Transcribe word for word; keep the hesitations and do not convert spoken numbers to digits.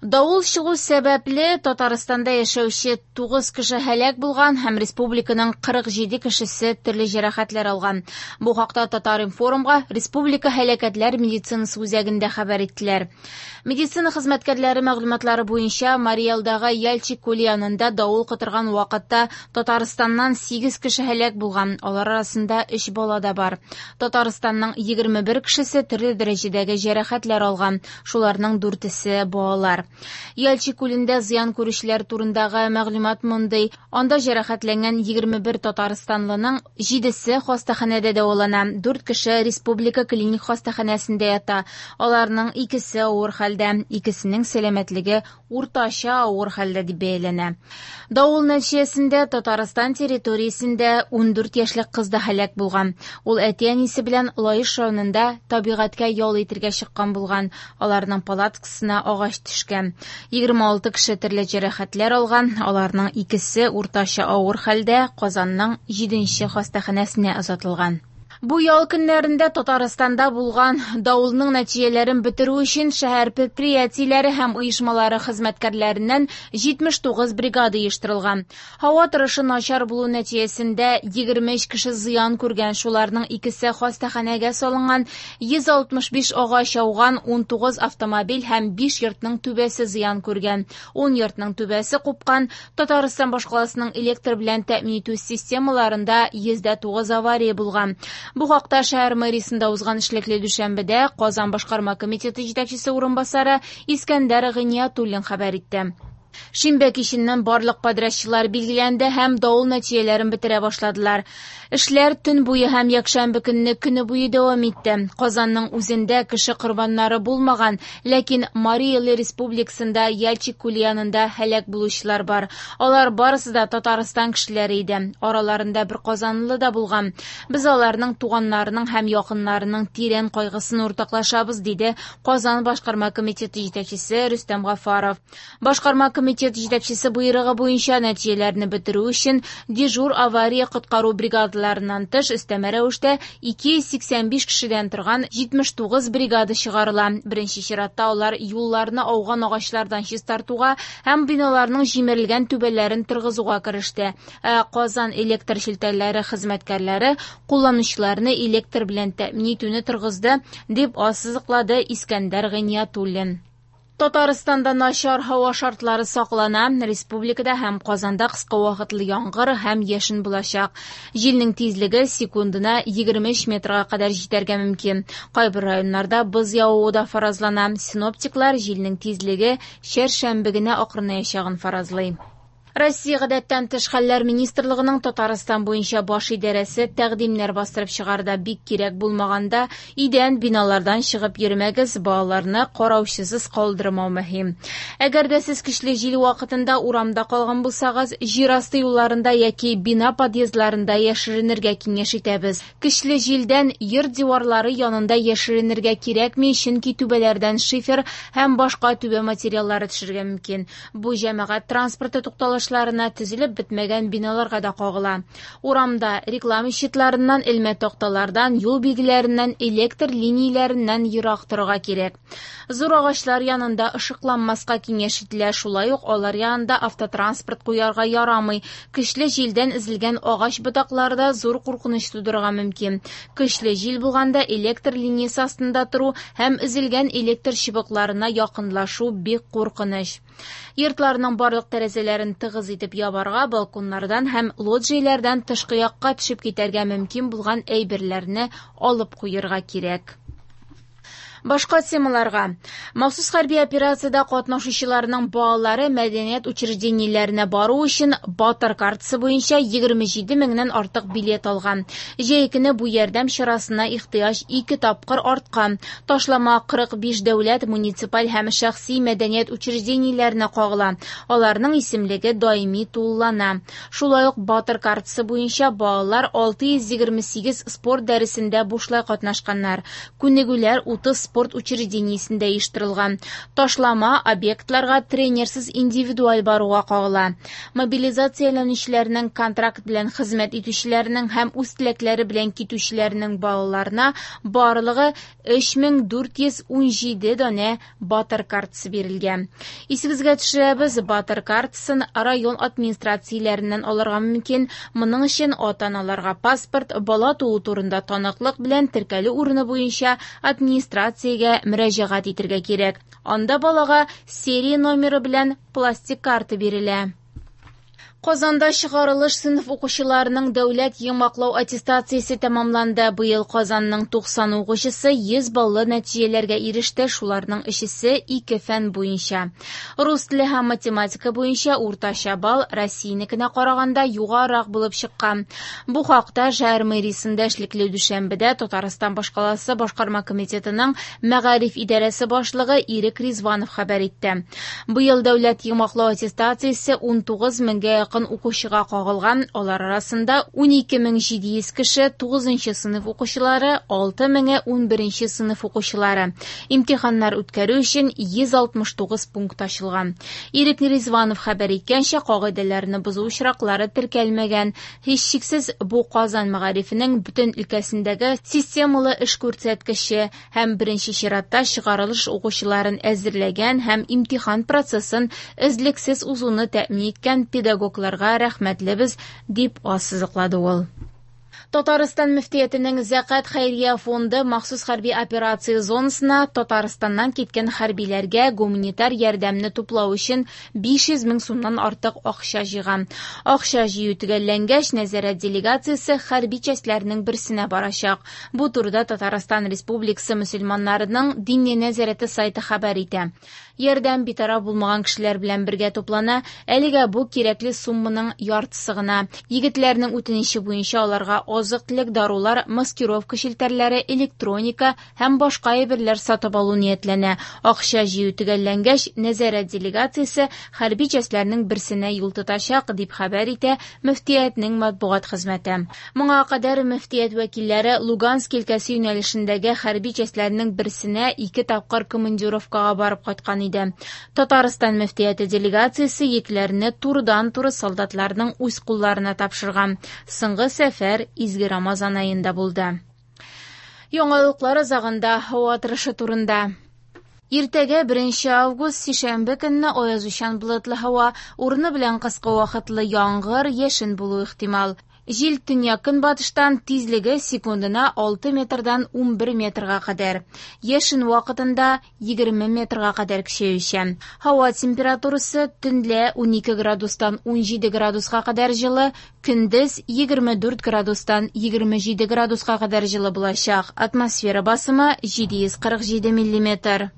Давыл чыгу сәбәпле Татарстанда яшәүче тугыз кеше һәлак булган һәм республиканың кырык җиде кешесе төрле җәрәхәтләр алган. Бу хакта Татар-информга Республика һәлакәтләр медицинасы үзәгендә хәбәр иттеләр. Медицина хезмәткәрләре мәгълүматлары буенча Марий Элдагы Яльчик күле янында давыл котырган вакытта Татарстаннан сигез кеше һәлак булган, алар арасында өч бала да бар. Татарстанның егерме бер кешесе төрле дәрәҗәдәге җәрәхәтләр алган, шуларның дүртесе балалар. Яльчик күлендә зыян күрүчеләр турындагы мәгълүмат мондый. Анда җәрәхәтләнгән егерме бер татарстанлының җидесе хастаханәдә дәвалана, дүрт кеше республика клиник хастаханәсендә ята. Аларның икесе авыр хәлдә, икесенең сәламәтлеге уртача авыр хәлдә дип бәяләнә. Давыл нәтиҗәсендә Татарстан территориясендә ундүрт яшьлек кыз да һәлак булган. Ул әти-әнисе белән Лаеш районында табигатькә ял итергә чыккан булган. Аларның палаткасына агач төшкән. Егерме алты кеше төрле җәрәхәтләр алган, аларның икесе уртача авыр хәлдә Казанның җиденче хастаханәсенә озатылган. Бу ял көннәрендә Татарстанда булган давылның нәтиҗәләрен бетерү өчен шәһәр предприятиеләре һәм оешмалары хезмәткәрләреннән җитмеш тугыз бригада оештырылган. Һава торышы начар булу нәтиҗәсендә егерме өч кеше зыян күргән, шуларның икесе хастаханәгә салынган, йөз алтмыш биш агач ауган, ун тугыз автомобиль һәм биш йортның түбәсе зыян күргән, ун йортның түбәсе купкан. Татарстан башкаласының электр белән тәэмин итү системаларында йөз дә тугыз авария булган. Бу хакта шәһәр мэриясендә узган эшлекле дүшәмбедә Казан башкарма комитеты җитәкчесе урынбасары Искәндәр Гыйниятуллин хәбәр итте. Шимбә киченнән барлык подрядчылар билгеләнде һәм давыл нәтиҗәләрен бетерә башладылар. Эшләр төн буе һәм якшәмбе көнне көне буе дәвам итте. Казанның үзендә кеше корбаннары булмаган, ләкин Марий Эл республикасында Яльчик күле янында һәлак булучылар бар. Алар барысы да Татарстан кешеләре иде. Араларында бер казанлы да булган. Без аларның туганнарының һәм якыннарының тирән кайгысын уртаклашабыз, диде Казан башкарма комитеты җитәкчесе Рөстәм Гафаров. Башкарма комитет җитәкчесе буйрыгы буенча нәтиҗәләрне бетерү өчен дежур авария коткару бригадаларыннан тыш өстәмә рәвештә ике йөз сиксән биш кешедән торган җитмеш тугыз бригада чыгарыла. Беренче чиратта алар юлларны ауган агачлардан чистартуга һәм биналарның җимерелгән түбәләрен торгызуга кереште. Ә Казан электр челтәрләре хезмәткәрләре кулланучыларны электр белән тәэмин итүне торгызды, дип ассызыклады Искәндәр Гыйниятуллин. Татарстанда начар һава шартлары саклана. Республикада һәм Казанда кыска вакытлы яңгыр һәм яшен булачак. Җилнең тизлеге секундына егерме өч метрга кадәр җитәргә мөмкин. Кайбер районнарда боз явуы да фаразлана. Синоптиклар җилнең тизлеге чәршәмбе генә акрынаячагын фаразлый. Россия гадәттән тыш хәлләр министрлыгының Татарстан буенча баш идарәсе тәкъдимнәр бастырып чыгарды. Бик кирәк булмаганда идән биналардан чыгып йөрмәгез, балаларны караучысыз калдырмау мөһим. Әгәр дә сез көчле җил вакытында урамда калган булсагыз, җир асты юлларында яки бина подъездларында яшеренергә киңәш итәбез. Көчле җилдән йорт диварлары янында яшеренергә кирәкми, чөнки түбәләрдән шифер һәм башка түбә материаллары төшергә мөмкин. Бу җәмәгать транспорты тукталышларына төзелеп бетмәгән биналарга да кагыла. Урамда реклама щитларыннан, элмә такталардан, юл билгеләреннән, электр линияләреннән ерак торырга кирәк. Зур агачлар янында ышыкланмаска киңәш ителә, шулай ук алар янында автотранспорт куярга ярамый. Көчле җилдән өзелгән агач ботаклары да зур куркыныч тудырырга мөмкин. Көчле җил булганда электр линиясе астында тору һәм өзелгән электр чыбыкларына якынлашу бик куркыныч. Йортларның барлык тәрәзәләрен тыгыз итеп ябарга, балконнардан һәм лоджияләрдән тышкы якка төшеп китәргә мөмкин булган әйберләрне алып куярга кирәк. Башка темаларга. Махсус хәрби операциядә катнашучыларның балалары мәдәният учреждениеләренә бару өчен Батыр картасы буенча егерме җиде меңнән артык билет алган. Җәй көне бу ярдәм чарасына ихтыяҗ ике тапкыр арткан. Ташлама кырык биш дәүләт, муниципаль һәм шәхси мәдәният учреждениеләренә кагыла. Аларның исемлеге даими тулылана. Шулай ук Батыр картасы буенча балалар алты йөз егерме сигез спорт дәресендә бушлай катнашканнар. Күнегүләр утыз спорт учреждениесендә оештырылган. Ташлама объектларга тренерсыз индивидуаль баруга кагыла. Мобилизацияләнүчеләрнең, контракт белән хезмәт итүчеләрнең һәм үз теләкләре белән китүчеләрнең балаларына барлыгы өч мең дүрт йөз унҗиде данә Батыр картасы бирелгән. Исегезгә төшерәбез, Батыр картасын район администрацияләреннән алырга мөмкин. Моның өчен ата-аналарга паспорт, бала туу турында таныклык белән теркәлү урыны буенча администрациягә мөрәҗәгать итәргә кирәк. Анда балага серия номеры белән пластик карта бирелә. Казанда чыгарылыш сыйныф укучыларының дәүләт йомгаклау аттестациясе тәмамланды. Быел Казанның туксан укучысы йөз баллы нәтиҗәләргә иреште, шуларның өчесе ике фән буенча. Рус теле һәм математика буенча уртача балл Россиянекенә караганда югарырак булып чыккан. Бу хакта шәһәр мэриясендә эшлекле дүшәмбедә Татарстан башкаласы башкарма комитетының мәгариф идарәсе башлыгы Ирек Ризванов хәбәр итте. Быел дәүләт йомгаклау аттестациясе унтугыз меңгә якын укучыга кагылган, алар арасында унике мең җиде йөз кеше тугызынчы сыйныф укучылары, алты меңе унберенче сыйныф укучылары. Имтиханнар үткәрү өчен йөз алтмыш тугыз пункт ачылган. Ирек Ризванов хәбәр иткәнчә, кагыйдәләрне бозу очраклары теркәлмәгән. Һичшиксез, бу Казан мәгарифенең бөтен өлкәсендәге системалы эш күрсәткече һәм беренче чиратта чыгарылыш укучыларын әзерләгән һәм имтихан процессын эзлексез узуны тәэмин иткән педагогларга рәхмәтлебез, дип ассызыклады ул. Татарстан мөфтиятенең Зәкат хәйрия фонды махсус хәрби операция зонасына Татарстаннан киткән хәрбиләргә гуманитар ярдәмне туплау өчен биш йөз мең сумнан артык акча җыйган. Акча җыю төгәлләнгәч, нәзарәт делегациясе хәрби частьләрнең берсенә барачак. Бу турыда Татарстан Республикасы мөселманнарының дини нәзарәте сайты хәбәр итә. Ярдәм битараф булмаган кешеләр белән бергә туплана. Әлегә бу кирәкле сумманың яртысы гына. Егетләрнең үтенече буенча аларга азык-төлек, дарулар, маскировка челтәрләре, электроника һәм башка әйберләр сатып алу ниятләнә. Акча җыю төгәлләнгәч, нәзарәт делегациясе хәрби частьләрнең берсенә юл тотачак, дип хәбәр итә мөфтиятнең матбугат хезмәте. Моңа кадәр мөфтият вәкилләре Луганск өлкәсе юнәлешендәге хәрби частьләрнең берсенә ике тапкыр командировкага барып кайткан иде. Татарстан мөфтияте делегациясе йөкләрне турыдан-туры солдатларның үз кулларына тапшырган. Соңгы сәфәр Изге Рамазан аенда булды. Яңалыклар азагында һава торышы турында. Иртәгә беренче август сишәмбе көнне аязучан болытлы һава, урыны белән кыска вакытлы яңгыр, яшен булу ихтимал. Җил төньяк-көнбатыштан, тизлеге секундына алты метрдан унбер метрга кадәр. Яшен вакытында егерме метрга кадәр көчәючән. Һава температурасы төнлә унике градустан унҗиде градуска кадәр җылы, көндез егерме дүрт градустан егерме җиде градуска кадәр җылы булачак. Атмосфера басымы җиде йөз кырык җиде миллиметр.